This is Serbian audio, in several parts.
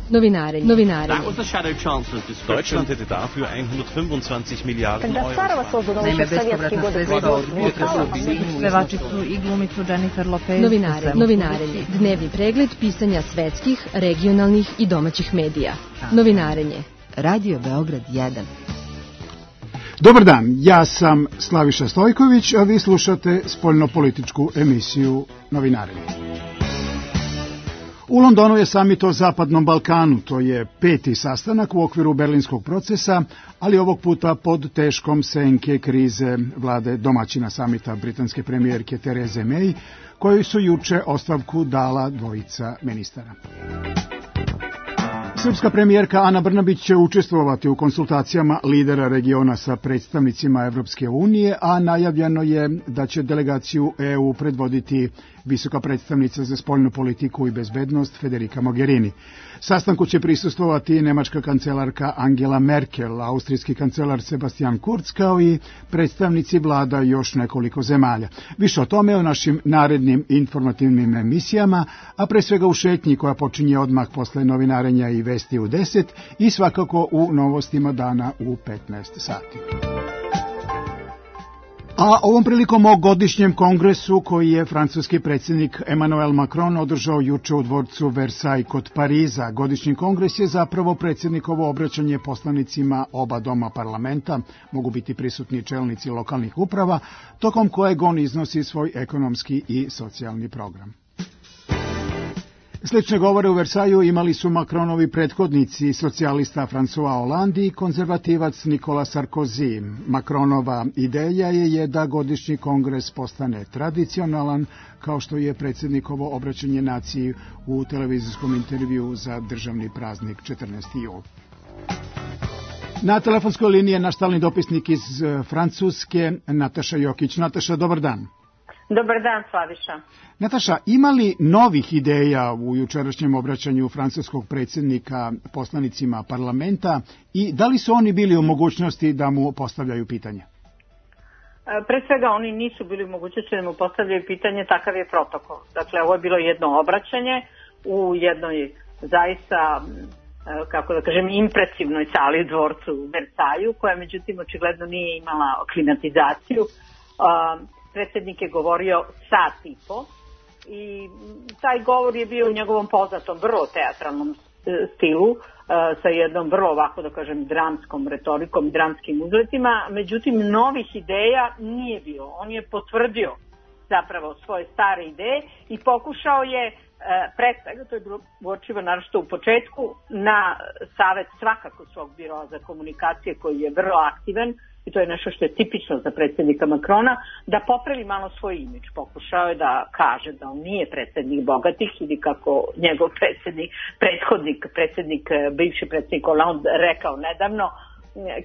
Novinarenje. Deutschland hätte dafür 125 Milijarden Euro. Naime, bespovratna sredstva od budžeta su objedinili pevačicu i glumicu Jennifer Lopez. Novinarenje. Dnevni pregled pisanja svetskih, regionalnih i domaćih medija. Novinarenje. Radio Beograd 1. Dobar dan, ja sam Slaviša Stojković, a vi slušate spoljnopolitičku emisiju Novinarenje. U Londonu je samit o Zapadnom Balkanu, to je 5. sastanak u okviru berlinskog procesa, ali ovog puta pod teškom senke krize vlade domaćina samita britanske premijerke Therese May, kojoj su juče ostavku dala dvojica ministara. Srpska premijerka Ana Brnabić će učestvovati u konsultacijama lidera regiona sa predstavnicima Evropske unije, a najavljeno je da će delegaciju EU predvoditi visoka predstavnica za spoljnu politiku i bezbednost Federica Mogherini. Sastanku će prisustvovati nemačka kancelarka Angela Merkel, austrijski kancelar Sebastian Kurz, kao i predstavnici vlada još nekoliko zemalja. Više o tome u našim narednim informativnim emisijama, a pre svega u šetnji koja počinje odmah posle novinarenja i vesti u 10 i svakako u novostima dana u 15 sati. A ovom prilikom o godišnjem kongresu koji je francuski predsjednik Emmanuel Macron održao juče u dvorcu Versailles kod Pariza. Godišnji kongres je zapravo predsjednikovo obraćanje poslanicima oba doma parlamenta, mogu biti prisutni čelnici lokalnih uprava, tokom kojeg on iznosi svoj ekonomski i socijalni program. Slične govore u Versaju imali su Macronovi prethodnici, socijalista François Hollande i konzervativac Nicolas Sarkozy. Macronova ideja je da godišnji kongres postane tradicionalan, kao što je predsjednikovo obraćanje naciji u televizijskom intervjuu za državni praznik 14. jul. Na telefonskoj liniji je naš stalni dopisnik iz Francuske, Nataša Jokić. Nataša, dobar dan. Dobar dan, Slaviša. Nataša, ima li novih ideja u jučerašnjem obraćanju francuskog predsjednika poslanicima parlamenta i da li su oni bili u mogućnosti da mu postavljaju pitanje? Pre svega oni nisu bili u mogućnosti da mu postavljaju pitanje, takav je protokol. Dakle, ovo je bilo jedno obraćanje u jednoj zaista, kako da kažem, impresivnoj sali u dvorcu u Versaju, koja međutim očigledno nije imala klimatizaciju. Predsjednik je govorio sat i po i taj govor je bio u njegovom poznatom, vrlo teatralnom stilu, sa jednom vrlo, ovako da kažem, dramskom retorikom i dramskim uzletima. Međutim, novih ideja nije bilo. On je potvrdio zapravo svoje stare ideje i pokušao je, pre svega, to je bilo uočivo naročito u početku, na savet svakako svog biroa za komunikacije koji je vrlo aktivan, i to je nešto što je tipično za predsjednika Macrona, da popravi malo svoj imidž. Pokušao je da kaže da on nije predsjednik bogatih ili kako njegov bivši predsjednik Hollande rekao nedavno,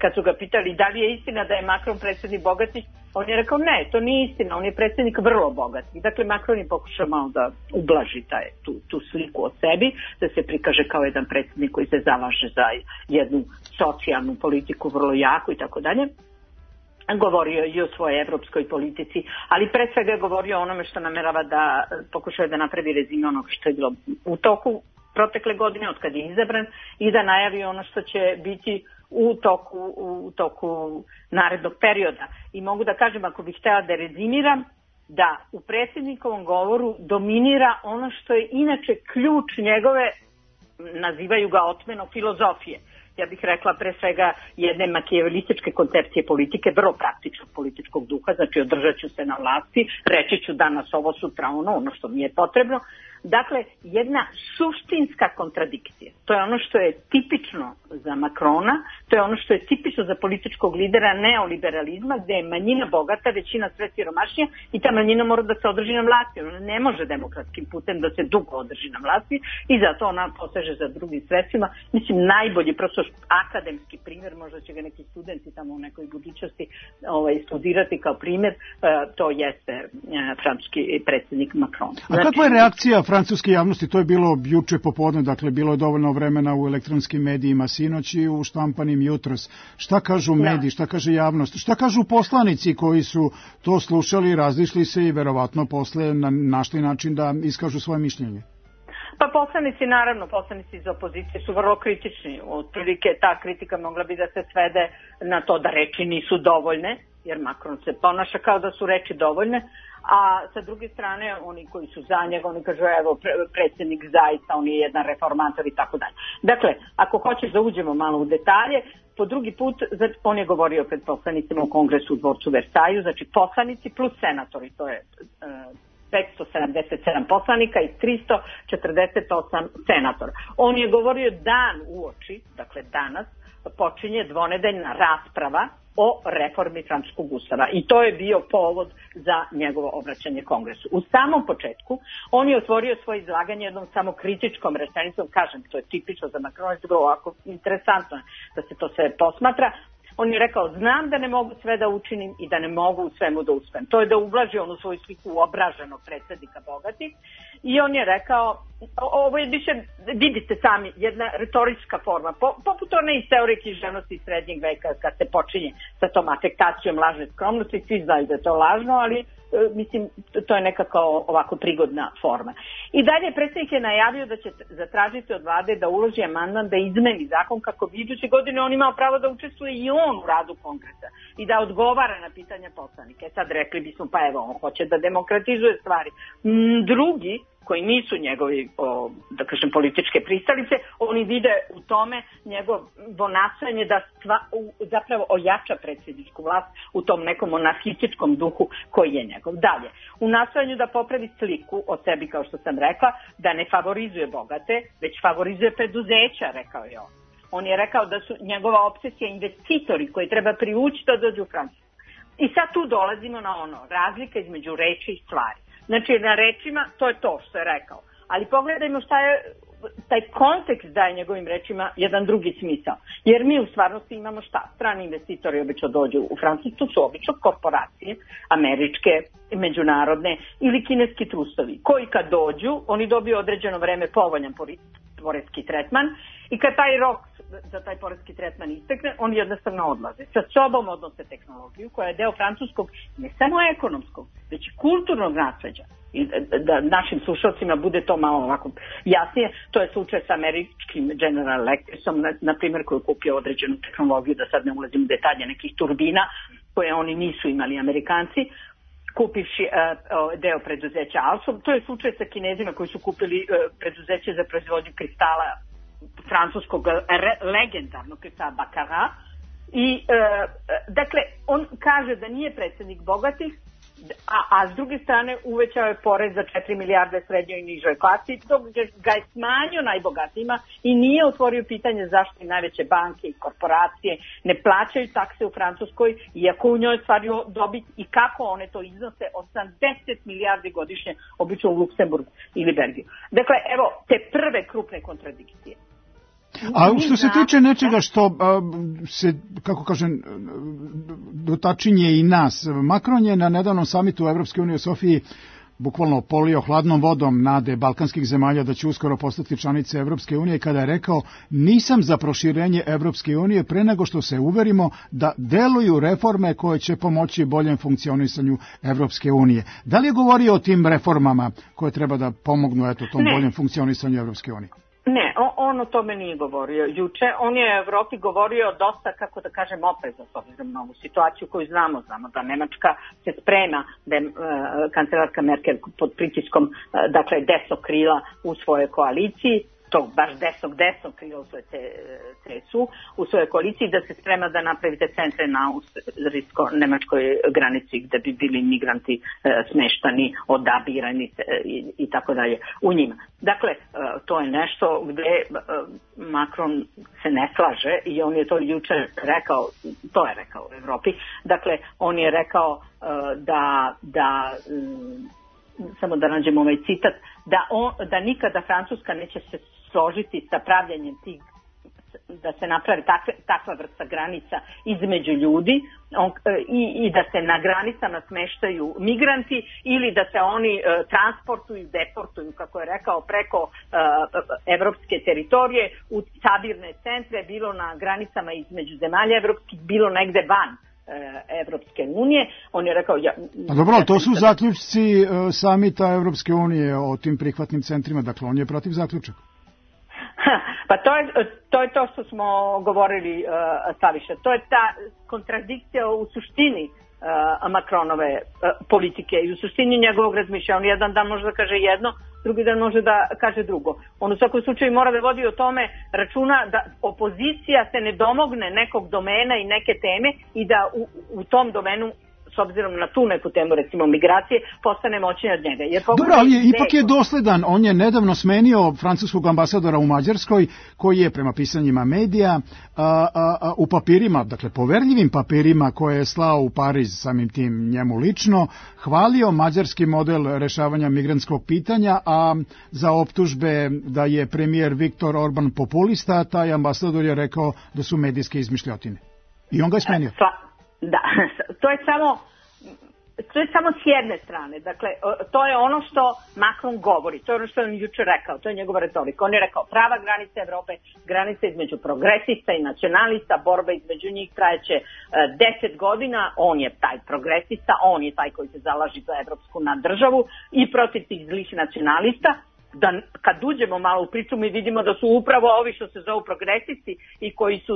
kad su ga pitali da li je istina da je Macron predsjednik bogatih, on je rekao ne, to nije istina, on je predsjednik vrlo bogatih. Dakle, Macron je pokušao malo da ublaži tu sliku o sebi, da se prikaže kao jedan predsjednik koji se zalaže za jednu socijalnu politiku vrlo jako i tako dalje. Govorio i o svojoj evropskoj politici, ali pre svega je govorio o onome što namerava da pokušaju da napravi rezime onog što je bilo u toku protekle godine, od kad je izabran, i da najavi ono što će biti u toku narednog perioda. I mogu da kažem, ako bih htjela da rezimiram, da u predsjednikovom govoru dominira ono što je inače ključ njegove, nazivaju ga otmeno, filozofije. Ja bih rekla pre svega jedne makijavelističke koncepcije politike, vrlo praktičnog političkog duha, znači održat ću se na vlasti, reći ću danas ovo, sutra ono što mi je potrebno. Dakle, jedna suštinska kontradikcija. To je ono što je tipično za Macrona, to je ono što je tipično za političkog lidera neoliberalizma, gde je manjina bogata, većina sve siromašnija i ta manjina mora da se održi na vlasti. Ona ne može demokratskim putem da se dugo održi na vlasti i zato ona poseže za drugim sredstvima. Mislim, najbolji, prosto akademski primjer, možda će ga neki studenti tamo u nekoj budućnosti studirati kao primjer, to jeste francuski predsjednik Macron. A kakva je reakcija francuske javnosti? To je bilo juče popodne, dakle bilo je dovoljno vremena u elektronskim medijima sinoć i u štampanim jutros. Šta kažu mediji, šta kaže javnost, šta kažu poslanici koji su to slušali, razišli se i verovatno posle našli način da iskažu svoje mišljenje? Pa poslanici iz opozicije su vrlo kritični. Otprilike ta kritika mogla bi da se svede na to da reči nisu dovoljne, jer Macron se ponaša kao da su reči dovoljne, a sa druge strane oni koji su za njega, oni kažu evo predsjednik zaista, on je jedan reformator i tako dalje. Dakle, ako hoćeš da uđemo malo u detalje, po drugi put on je govorio pred poslanicima u kongresu u dvorcu Versaju, znači poslanici plus senatori, to je 577 poslanika i 348 senatora. On je govorio dan uoči, dakle danas, počinje dvonedeljna rasprava o reformi francuskog ustava i to je bio povod za njegovo obraćanje kongresu. U samom početku on je otvorio svoje izlaganje jednom samo kritičkom rečenicom, kažem, to je tipično za Macrona, to je ovako interesantno da se to sve posmatra. On je rekao, znam da ne mogu sve da učinim i da ne mogu u svemu da uspem. To je da ublaži onu svoju sliku obraženog predsjednika bogatih. I on je rekao, ovo je više, vidite sami, jedna retorička forma, poput one iz teorije književnosti iz srednjeg veka, kad se počinje sa tom afektacijom lažne skromnosti, svi znaju da je to lažno, ali mislim, to je nekako ovako prigodna forma. I dalje predsjednik je najavio da će zatražiti od vlade da uloži amandman da izmeni zakon kako bi iduće godine on imao pravo da učestvuje i on u radu kongresa i da odgovara na pitanja poslanika. Sad rekli bismo, pa evo, on hoće da demokratizuje stvari. Drugi, koji nisu njegovi, da kažem, političke pristalice, oni vide u tome njegovo nastojanje da zapravo ojača predsjedničku vlast u tom nekom monarhističkom duhu koji je njegov. Dalje, u nastojanju da popravi sliku o sebi, kao što sam rekla, da ne favorizuje bogate, već favorizuje preduzeća, rekao je on. On je rekao da su njegova opsesija investitori koji treba privući da dođu u Francusku. I sad tu dolazimo na ono, razlika između reči i stvari. Znači, na rečima, to je to što je rekao. Ali pogledajmo šta je, taj kontekst daje njegovim rečima jedan drugi smisao. Jer mi u stvarnosti imamo šta? Strani investitori obično dođu u Francusku, to su obično korporacije, američke, međunarodne ili kineski trustovi, koji kad dođu, oni dobiju određeno vreme povoljan poreski tretman i kad taj rok za taj poreski tretman istekne, oni jednostavno odlaze. Sa sobom odnose tehnologiju koja je deo francuskog, ne samo ekonomskog, već i kulturnog nasleđa. I da našim slušalcima bude to malo ovako jasnije, to je slučaj sa američkim General Electricom, na primjer, koji je kupio određenu tehnologiju, da sad ne ulazim u detalje, nekih turbina koje oni nisu imali Amerikanci, kupivši deo preduzeća Alstom. To je slučaj sa Kinezima koji su kupili preduzeće za proizvodnju kristala, francuskog legendarnog kristala Baccarat. I dakle, on kaže da nije predsjednik bogatih, a s druge strane uvećao je porez za 4 milijarde srednjoj i nižoj klasi, dok ga je smanjio najbogatijima i nije otvorio pitanje zašto i najveće banke i korporacije ne plaćaju takse u Francuskoj, iako u njoj stvaraju dobit i kako one to iznose 80 milijardi godišnje, obično u Luksemburgu ili Belgiju. Dakle, evo te prve krupne kontradikcije. A što se tiče nečega što se, kako kažem, dotačinje i nas, Macron je na nedavnom samitu u Evropske unije u Sofiji bukvalno polio hladnom vodom nade balkanskih zemalja da će uskoro postati članice Evropske unije, kada je rekao nisam za proširenje Evropske unije pre nego što se uverimo da deluju reforme koje će pomoći boljem funkcionisanju Evropske unije. Da li je govorio o tim reformama koje treba da pomognu tom boljem funkcionisanju Evropske unije? Ne, on o tome nije govorio juče. On je u Evropi govorio dosta, kako da kažem, oprezno s obzirom na ovu situaciju koju znamo da Nemačka se sprema, da je kancelarka Merkel pod pritiskom, dakle, desnog krila u svojoj koaliciji, tog baš desnog krila u svojoj CSU, u svojoj koaliciji, da se sprema da napravite centre na austrijsko-nemačkoj granici gde bi bili migranti smeštani, odabirani i tako dalje u njima. Dakle, to je nešto gde Macron se ne slaže i on je to juče rekao, to je rekao u Evropi. Dakle, on je rekao da samo da nađemo ovaj citat, da nikada Francuska neće se složiti sa pravljanjem tih, da se napravi takva vrsta granica između ljudi i da se na granicama smeštaju migranti ili da se oni transportuju, deportuju, kako je rekao, preko evropske teritorije u sabirne centre, bilo na granicama između zemalja evropskih, bilo negde van Evropske unije. On je rekao... Dobro, to su zaključci samita Evropske unije o tim prihvatnim centrima, dakle on je protiv zaključaka. Pa to je to što smo govorili, Slaviša. To je ta kontradikcija u suštini Macronove politike i u suštini njegovog razmišljanja. On jedan dan može da kaže jedno, drugi dan može da kaže drugo. On u svakom slučaju mora da vodi o tome računa da opozicija se ne domogne nekog domena i neke teme i da u tom domenu, s obzirom na tu neku temu, recimo migracije, postane moćniji od njega. Dobro, ali ipak je dosledan. On je nedavno smenio francuskog ambasadora u Mađarskoj, koji je prema pisanjima medija u papirima, dakle poverljivim papirima koje je slao u Pariz, samim tim njemu lično, hvalio mađarski model rešavanja migrantskog pitanja, a za optužbe da je premijer Viktor Orban populista, taj ambasador je rekao da su medijske izmišljotine. I on ga je smenio. Da, to je samo s jedne strane. Dakle, to je ono što Macron govori, to je ono što je on juče rekao, to je njegova retorika. On je rekao prava granica Evrope, granica između progresista i nacionalista, borba između njih trajeće 10 godina, on je taj progresista, on je taj koji se zalaži za evropsku naddržavu i protiv tih zlih nacionalista. Da kad uđemo malo u priču mi vidimo da su upravo ovi što se zovu progresisti i koji su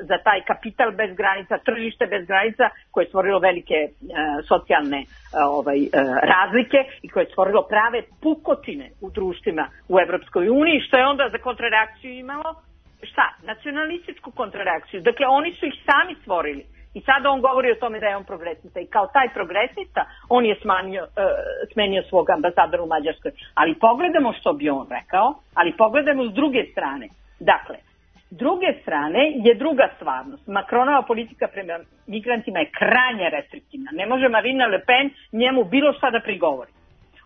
za taj kapital bez granica, tržište bez granica koje je stvorilo velike socijalne razlike i koje je stvorilo prave pukotine u društvima u Evropskoj uniji, što je onda za kontrareakciju imalo šta? Nacionalističku kontrareakciju. Dakle, oni su ih sami stvorili. I sada on govori o tome da je on progresista i kao taj progresista on je smenio svog ambasadora u Mađarskoj. Ali pogledamo što bi on rekao, ali pogledamo s druge strane. Dakle, s druge strane je druga stvarnost. Macronova politika prema migrantima je krajnje restriktivna. Ne može Marine Le Pen njemu bilo šta da prigovori.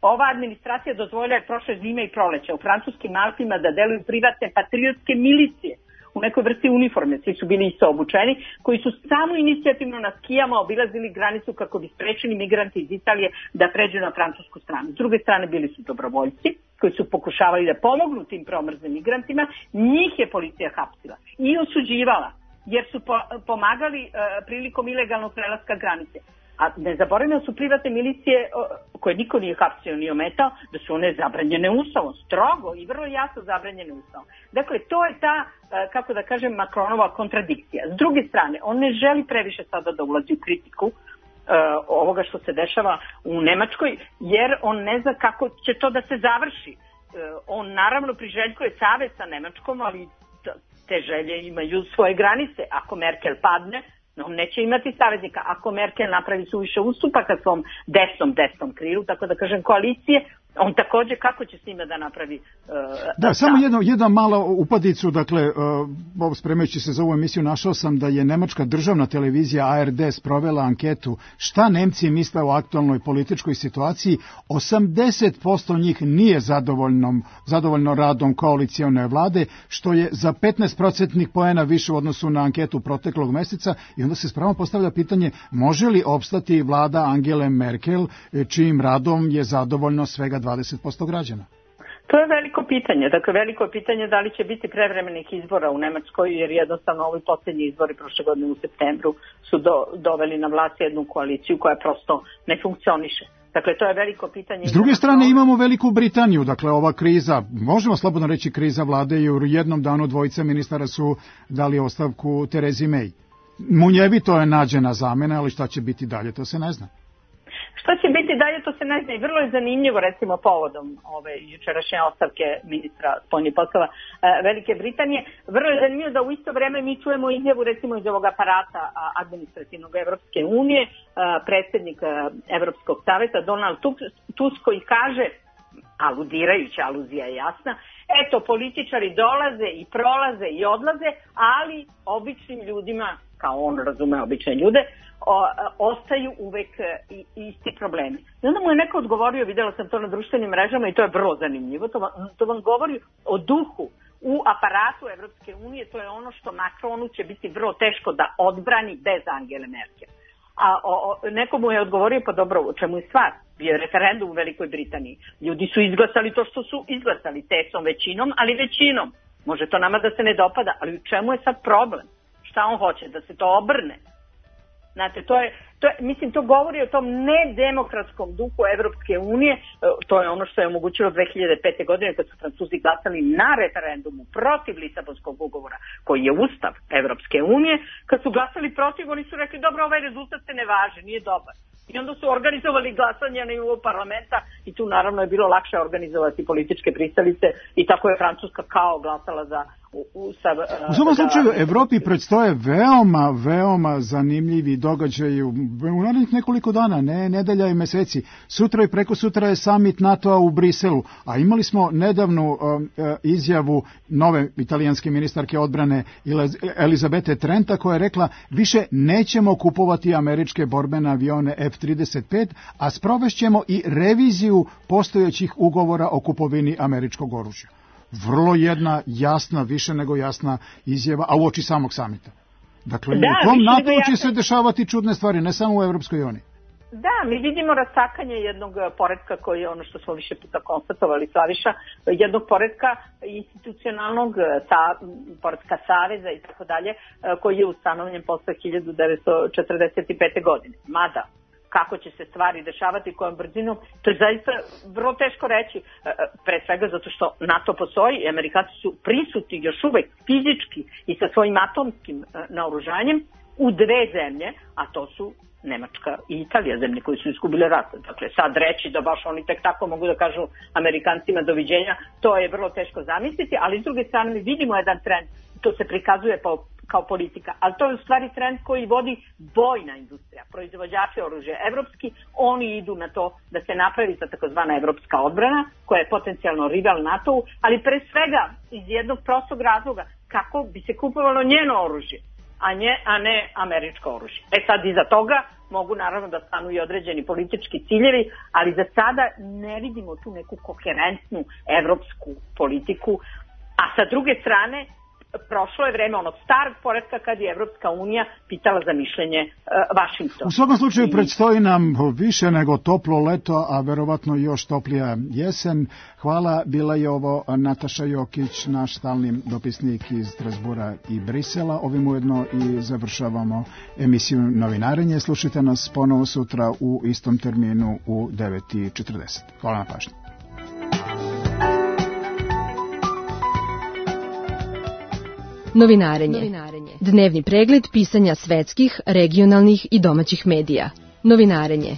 Ova administracija dozvoljila je prošle zime i proleća u francuskim Alpima da deluju privatne patriotske milicije u nekoj vrsti uniforme, svi su bili isto obučeni, koji su samo inicijativno na skijama obilazili granicu kako bi sprečili migranti iz Italije da pređu na francusku stranu. S druge strane bili su dobrovoljci koji su pokušavali da pomognu tim promrzlim migrantima, njih je policija hapsila i osuđivala jer su pomagali prilikom ilegalnog prelaska granice. A ne zaboravimo su privatne milicije koje niko nije hapsio ni ometao, da su one zabranjene ustavom, strogo i vrlo jasno zabranjene ustavom. Dakle, to je ta, kako da kažem, Macronova kontradikcija. S druge strane, on ne želi previše sada da ulazi u kritiku ovoga što se dešava u Nemačkoj, jer on ne zna kako će to da se završi. On naravno priželjkuje savez sa Nemačkom, ali te želje imaju svoje granice. Ako Merkel padne, on neće imati saveznika. Ako Merkel napravi suviše ustupaka svom desnom krilu, tako da kažem koalicije, on takođe kako će s njima da napravi... samo jedna mala upadicu, dakle, spremajući se za ovu emisiju, našao sam da je nemačka državna televizija ARD sprovela anketu šta Nemci misle o aktualnoj političkoj situaciji. 80% njih nije zadovoljno radom koalicione vlade, što je za 15% poena više u odnosu na anketu proteklog meseca, i onda se spravo postavlja pitanje može li opstati vlada Angele Merkel, čijim radom je zadovoljno svega 20% građana? To je veliko pitanje. Dakle, veliko je pitanje da li će biti prevremenih izbora u Nemačkoj, jer jednostavno ovi posljednji izbori prošle godine u septembru su doveli na vlast jednu koaliciju koja prosto ne funkcioniše. Dakle, to je veliko pitanje. S druge strane imamo Veliku Britaniju, dakle ova kriza, možemo slobodno reći kriza vlade, jer u jednom danu dvojica ministara su dali ostavku Terezi May. Munjevito je nađena zamena, ali šta će biti dalje, to se ne zna. Što će biti dalje, to se ne zna i vrlo je zanimljivo, recimo povodom ove jučerašnje ostavke ministra spoljnih poslova Velike Britanije. Vrlo je zanimljivo da u isto vreme mi čujemo izjavu recimo iz ovog aparata administrativnog Evropske unije, predsjednik Evropskog saveta Donald Tusk koji kaže, aludirajući, aluzija je jasna, eto političari dolaze i prolaze i odlaze, ali običnim ljudima, kao on razume obične ljude, ostaju uvek isti problemi. I onda mu je neko odgovorio, videla sam to na društvenim mrežama i to je vrlo zanimljivo, to vam govori o duhu u aparatu Evropske unije, to je ono što Macronu će biti vrlo teško da odbrani bez Angele Merkel. A neko mu je odgovorio, pa dobro, o čemu je stvar? Bio je referendum u Velikoj Britaniji. Ljudi su izglasali to što su izglasali, tesom većinom, ali većinom. Može to nama da se ne dopada, ali u čemu je sad problem? Šta on hoće? Da se to obrne? Znate, mislim, to govori o tom nedemokratskom duhu Evropske unije, to je ono što je omogućilo 2005. godine kad su Francuzi glasali na referendumu protiv Lisabonskog ugovora, koji je ustav Evropske unije. Kad su glasali protiv, oni su rekli, dobro, ovaj rezultat se ne važi, nije dobar. I onda su organizovali glasanje na nivou parlamenta i tu naravno je bilo lakše organizovati političke pristalice i tako je Francuska kao glasala za ustav. U svakom slučaju, Evropi predstoje veoma zanimljivi događaji u narednih nekoliko dana, ne nedelja i meseci. Sutra i preko sutra je summit NATO-a u Briselu, a imali smo nedavnu izjavu nove italijanske ministarke odbrane Elizabete Trenta koja je rekla više nećemo kupovati američke borbene avione F-35, a sprovešćemo i reviziju postojećih ugovora o kupovini američkog oružja. Vrlo jedna jasna, više nego jasna izjava, a uoči samog samita. Dakle, u tom NATO će se dešavati čudne stvari, ne samo u Evropskoj uniji. Da, mi vidimo rastakanje jednog poretka koji je ono što smo više puta konstatovali, Slaviša, jednog poretka institucionalnog, poretka saveza i tako dalje, koji je ustanovljen posle 1945. godine. Mada, kako će se stvari dešavati, kojom brzinom, to je zaista vrlo teško reći, pre svega zato što NATO postoji i Amerikanci su prisutni još uvek fizički i sa svojim atomskim naoružanjem u dve zemlje, a to su Nemačka i Italija, zemlje koji su izgubile rat. Dakle, sad reći da baš oni tek tako mogu da kažu Amerikancima doviđenja, to je vrlo teško zamisliti, ali s druge strane mi vidimo jedan trend, to se prikazuje kao politika, ali to je u stvari trend koji vodi vojna industrija, proizvođači oružja evropski, oni idu na to da se napravi ta takozvana evropska odbrana, koja je potencijalno rival NATO-u, ali pre svega iz jednog prostog razloga kako bi se kupovalo njeno oružje, a ne američko oružje. Sad iza toga mogu naravno da stanu i određeni politički ciljevi, ali za sada ne vidimo tu neku koherentnu evropsku politiku, a sa druge strane prošlo je vreme onog starog poretka kad je Evropska unija pitala za mišljenje Vašingtona. U svakom slučaju predstoji nam više nego toplo leto, a verovatno još toplija jesen. Hvala, bila je ovo Nataša Jokić, naš stalni dopisnik iz Strasbura i Brisela. Ovim ujedno i završavamo emisiju Novinarenje. Slušajte nas ponovo sutra u istom terminu u 9:40. Hvala na pažnji. Novinarenje. Dnevni pregled pisanja svetskih, regionalnih i domaćih medija. Novinarenje.